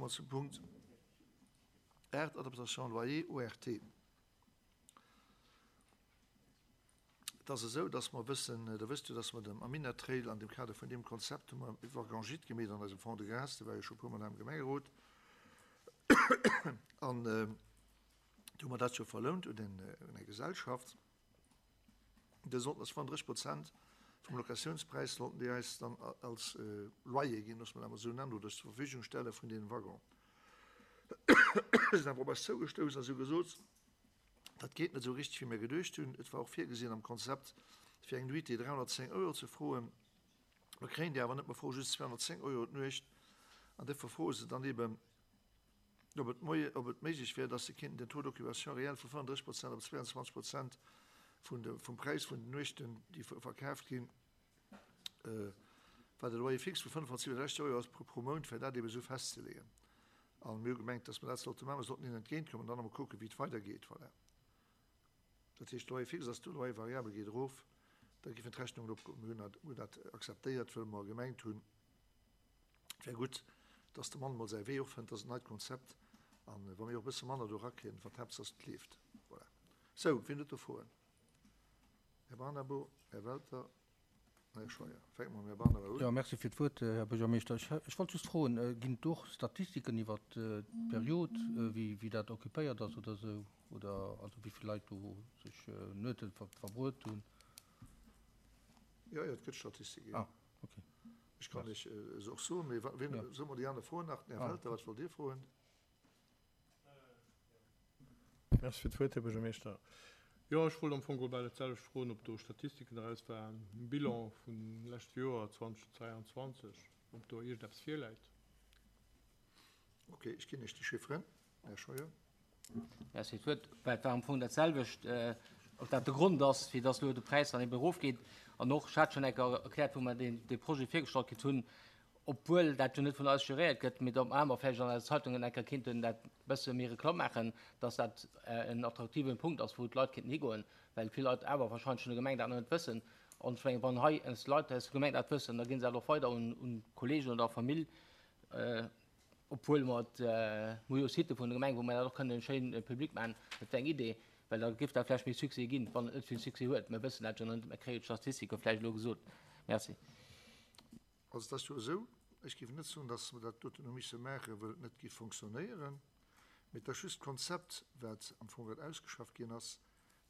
komme mer zum Punkt 8, Adaptation loyer ORT. Et ass esou, dass mer wëssen, Der wësst jo, dass mer dem Amina Trail an dem Kader vun deem Konzept hu mer e Wagon-gîte gemeet an eisem Fonds de Gras, dee war jo scho e puermol hei am Gemengerot, an do hu mer dat jo verlount un eng Gesellschaft. Déi sollten eis 35 Prozent vum Locatiounspräis sollten déi eis dann als Loyer ginn, loosse mer dat emol esou nennen, oder zur Verfügung stelle vun deem Waggon. Si sinn awer op eis zougestouss a si hu gesot, Dat geet net esou richteg, wéi mir geduecht hunn. Et war och virgesinn am Konzept, fir eng Nuitée 310 Euro ze froen. Mir kréien déi awer net, mer froe just 210 Euro d'Nuecht. An duerfir froe se dann eeben, ob et moie, ob et méiglech wär, dass se kéinten den Taux d'occupation réel vu 35 Prozent op 22 Prozent vun de, vum Präis vun den Nuechten, déi verkaaft ginn, wat e Loyer fixe vu 567 Euro ass pro Mount, fir dat eeben esou festzeleeën. A mir hu gemengt, dass mer dat sollte maachen. Mer sollten hinnen entgéintkommen an dann emol kucken, wéi et weidergeet. Voilà. Dat heescht, Loyer fixe ass do, Loyer variable geet erof. Da géifen d'Rechnungen opgoen. Mir hunn hunn dat akzeptéiert, wëll mer gemengt hunn, et wär gutt, dass de Mann emol säi Wee och fënnt. Dat ass en neit Konzept. A wa mir och e bësse manner do erakréien, wat d'Haaptsaach ass, et leeft. Voilà. Sou, wien huet do Froen? Här Barnabo, Här Welter. Här Scheuer, fänke mer mam Här Barnaba un. Jo, merci fir d'Wuert, Här Buergermeeschter. Ech wollt just froen, Ginn et do och Statistiken iwwert d'Period, wéi dat occupéiert ass oder esou, oder also wéi vill Leit do sech Nuete verbruet hunn? Jo, jo, et gëtt Statistiken, jo. Ah, okay. Ech kann lech se och soen, mee wien, soe mer déi aner Froen nach. Den Här Welter, wat wollt Dir froen? Merci fir d'Wuert, Här Buergermeeschter. Jo, ech wollt am Fong geholl bal dat selwecht froen, ob do Statistiken eraus waren, e Bilan vum leschte Joer 2022, ob do iergendeppes virläit. Ok, ech ginn Iech déi Chifferen, Här Scheuer. Merci fir d'Wuert. Well et war am Fong dat selwecht, ob dat de Grond ass, fir dass elo de Präis dann eben erofgeet. An och, ech hat schonn eng Kéier erkläert, wou mer dee Projet virgestallt kritt hunn, obwuel dat jo net vun eis geréiert gëtt, mee datt mer vläicht an eise Zeitungen eng Kéier kéinten dat bësse méi Reklamm maachen, datt dat en attraktiven Punkt ass, wou d'Leit kéinten higoen, well vill Leit awer wahrscheinlech vun der Gemeng dat nach net wëssen. An ech mengen, wann hei ons Leit aus der Gemeng dat wëssen, da ginn se dat och weider un Kollegen oder Famill, obwuel mer et, mer hu jo Sitë vun der Gemeng, wou mer dat och kënnen schéin public maachen. Dat wär eng Idee, well da géif dat vläicht méi Succès ginn, wann et net vill Succès huet. Mer wëssen dat jo nach net, mer kréie jo d'Statistike vläicht elo gesot. Merci. Also et ass jo esou, ech géif net soen, datt mer dat doten hu misse maachen, well et net géif fonctionnéieren, mee et ass just d'Konzept, wat am Fong grad ausgeschafft ginn ass,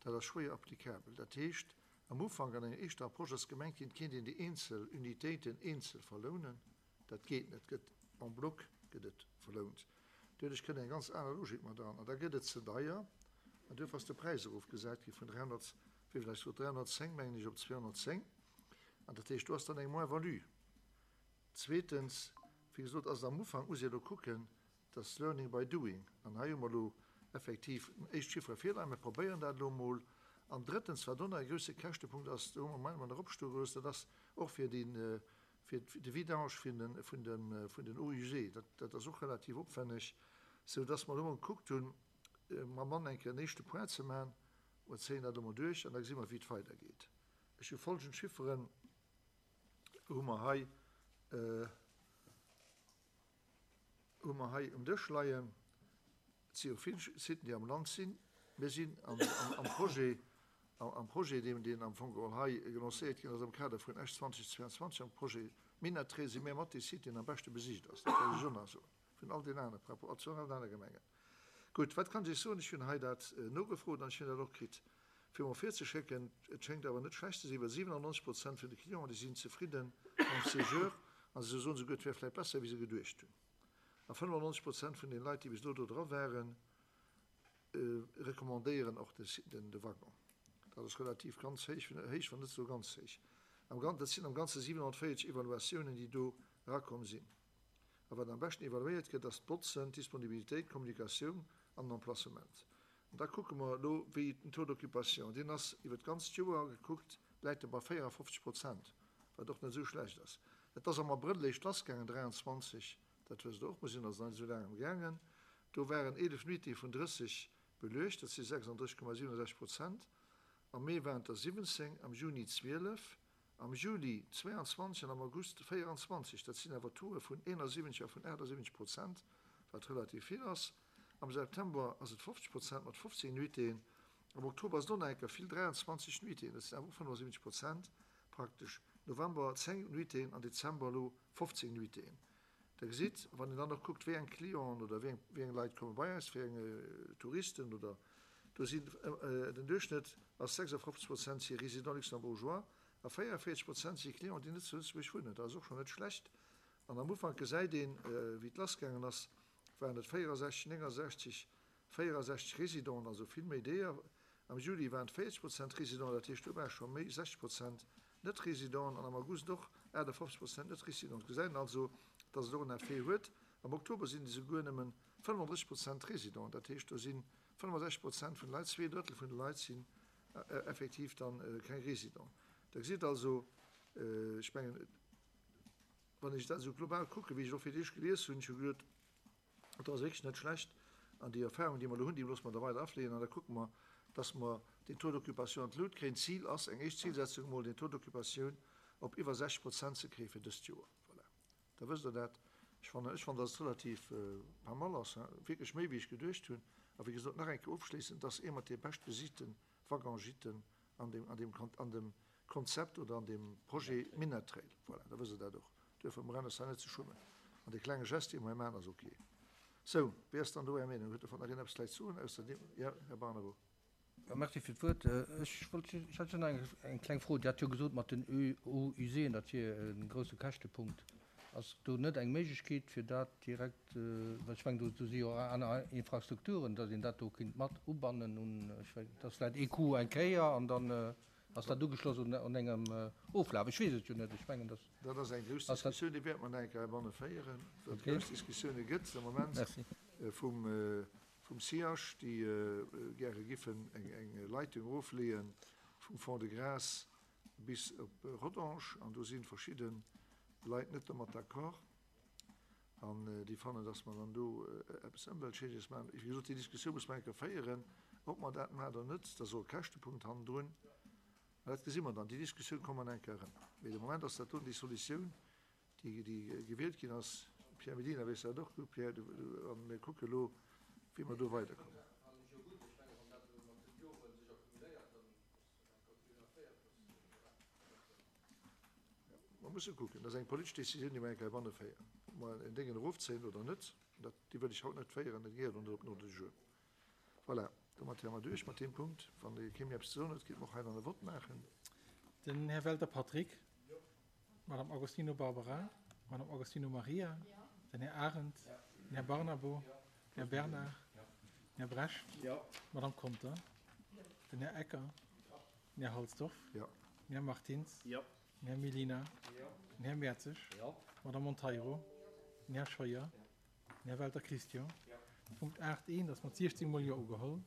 dat ass schwéier applicabel. Dat heescht, am Ufank an enger éischter Approche ass gemengt ginn, et kéint een déi eenzel Unitéiten eenzel verlounen. Dat geet net, et gëtt en bloc gëtt et verlount. Doduerch kënnt eng ganz aner Logik mat eran an da gëtt et ze deier an duerfir ass de Präis erofgesat gi vun 300, wéi vill hu ech gesot, 310 mengen ech op 210. An dat heescht, do ass dann eng Moins-value. Zweetens, wéi gesot, ass et am Ufank, muss ee elo kucken, dat ass learning by doing. An hei hu mer elo effektiv éischt Chiffere virleien, mir probéieren dat elo emol. An drëttens, wat och nach e grousse Käschtepunkt ass, do hu mer nach opstoe gelooss, dat ass och fir déi, fir de Vidange vun den, vun den, vun den Eaux usées, dat, dat ass och relativ opwänneg, soudass mer elo emol gekuckt hunn, mam Mann eng Kéier en éischte Point ze maachen. Mer zéien dat elo emol duerch an da gesi mer, wéi et weidergeet. Ech hu folgend Chifferen hu mer hei, hu mer hei um Dësch leien. Et si jo vill Siten, déi am Land sinn. Mir sinn am Projet, am Projet, deen, deen am Fong geholl hei lancéiert ginn ass am Kader vun Esch 2022, am Projet Minett-Trail, si mir mat dee Site, deen am beschte besicht ass. Dat wëll ech och nach soen, vun all den anere, par rapport zu all den anere Gemengen. Gutt, wat kann ech Iech soen? Ech hunn hei dat nogefrot an ech hunn dat och kritt, fir mer virzeschécken. Et schéngt awer net schlecht ze sinn, well 97 Prozent vun de Clienten, déi sinn zefridde mam Séjour a se soen souguer, et wär vläicht besser, wéi se geduecht hunn. A 95 Prozent vun den Leit, déi bis elo do dra waren, recommandéieren och de Waggon. Dat ass relativ ganz héich, héich, wann net esou ganz héich. Am Gan, dat sinn am Ganze 740 Evaluatiounen, déi do erakomm sinn. A wat am beschten evaluéiert gëtt, ass d'Botzen, d'Disponibilitéit, d'Kommunikatioun an den Emplacement. An da kucke mer elo, wéi den Taux d'occupation, deen ass iwwer d'ganzt Joer gekuckt, läit e bei 54 Prozent, wat och net esou schlecht ass. Et ass am Abrëll eréischt lassgaangen, 23, dat wësst Der och, mer sinn also nach net esou laang amgaangen, do waren 11 Nuitée vun 30 beluecht, dat si 36,67 Prozent. Am Mee waren et der 17, am Juni 12, Am Juli 22 an am August 24, dat sinn awer Tauxe vun 71 a vun 78 Prozent. wat relativ vill ass. Am September ass et 50 Prozent mat 15 Nuitéen. Am Oktober ass et och nach eng Kéier vill, 23 Nuitéen, dat sinn awer och 75 Prozent praktesch. November 10 Nuitéen an Dezember elo 15 Nuitéen. Der gesitt, wann een dann och kuckt, wéi eng Clienten oder wéi eng, wéi eng Leit komme bei eis, wéi eng Touristen oder, do sinn, den Duerchschnëtt ass 56 Prozent si Résidents luxembourgeois a 44 Prozent si Clienten, déi net zu Lëtzebuerg wunnen. Dat ass och schonn net schlecht. An am Ufank gesäit een, wéi et lassgaangen ass, waren et 64, 69, 64 Résidenten, also vill méi deeër. Am Juli waren et 40 Prozent Résidenten, dat heescht do ware scho méi 60 Prozent Net-Résidenten an am August och 58 Prozent Net-Résidenten. Gesäit een also, datt et och en Effet huet. Am Oktober sinn et esouguer nëmmen 35 Prozent Résidenten, dat heescht do si 65 Prozent vun de Leit, zwee Drëttel vun de Leit sinn effektiv dann keng Résidenten. Da gesitt also, ech mengen, wann ech dat esou global kucken, wéi ech et och fir d'éischt gelies hunn, ech hu geduet, Et ass wierklech net schlecht. An déi Erfahrung, déi mer elo hunn, déi loosse mer da weider afléien an da kucke mer, dass mer den Taux d'occupation an d'Lut kréien. D'Zil ass, eng éischt Zilsetzung emol, den Taux d'occupation op iwwer 60 Prozent ze kréie fir dëst Joer. Voilà, da wësst Der dat. Ech fannen, ech fannen, dass et relativ pas mal ass, wierklech méi wéi ech geduecht hunn. A wéi gesot, nach eng Kéier ofschléissend, et ass ee mat de beschtbesichte Waggon-Gîten an deem, an deem, an dem Konzept oder an deem Projet Minett Trail. Voilà, da wësst Der dat och. Duerfir brauch ech net ze schummen. An dee klenge Gest, dee mer hei maachen, ass ok. Sou, wéi ass dann do Är Meenung? Huet dovun nach een eppes vläicht ze soen, ausser deem? Jo, Här Barnabo. Jo, merci fir d'Wuert. Ech wollt, ech hat just nach eng kleng Fro. Dir hat jo gesot mat den Eaux usées, dat wier e grousse Käschtepunkt. Ass do net eng Méiglechkeet, fir dat direkt, well ech mengen, do do si jo och aner Infrastrukturen, datt een dat do kinnt mat ubannen un, ech wéi, dat ass vläicht ee Coup eng Kéier an dann ass dat ugeschloss un un engem Oflaf. Ech weess et jo net. Ech mengen, datt. Dat ass eng grouss Diskussioun, déi wäerte mer nach eng Kéier heibanne féieren, well et grouss Diskussioune gëtt am Moment vum vum SIAJ, déi gäre giffen eng eng Leitung erofleeë vum Fond-de-Gras bis op Rodange, an do si verschidde Leit net domat d'accord an déi fannen, dass mer dann do eppes Ëmweltschädleches maachen. Wéi gesot, déi Diskussioun muss mer eng Kéier féieren, ob mer dat maachen oder net. Dat ass och e Käschtepunkt hannendrun. Mä dat gesi mer dann. Déi Diskussioun komme mer nach eng Kéier erëm. Mee de Moment ass dat do déi Solutioun, déi gewielt ginn ass. Pierre Medina weess dat och gutt, Pierre, a mir kucke elo, wéi mer do weiderkommen. Mer musse kucken, dat ass eng politesch Décisioun, déi mer eng Kéier heibanne féieren, ob mer en Déngen erofzéien oder net. Dat, déi wëll ech haut net féieren, dat gehéiert och net op den Ordre du jour. Voilà, domat wäre mer duerch mat deem Punkt. Wann kee méi eppes ze soen huet, kéinte mer och hei dann e Vott maachen. Den Här Welter Patrick, d'Madame Agostino Barbara, d'Madame Agostino Maria, den Här Arendt, den Här Barnabo, den Här Bernard, den Här Brecht, d'Madame Conter, den Här Ecker, den Här Halsdorf, den Här Martins, den Här Mellina, den Här Mertzig, d'Madame Monteiro, den Här Scheuer, den Här Welter Christian. Punkt 8 I ass mat 16 mol Jo ugeholl.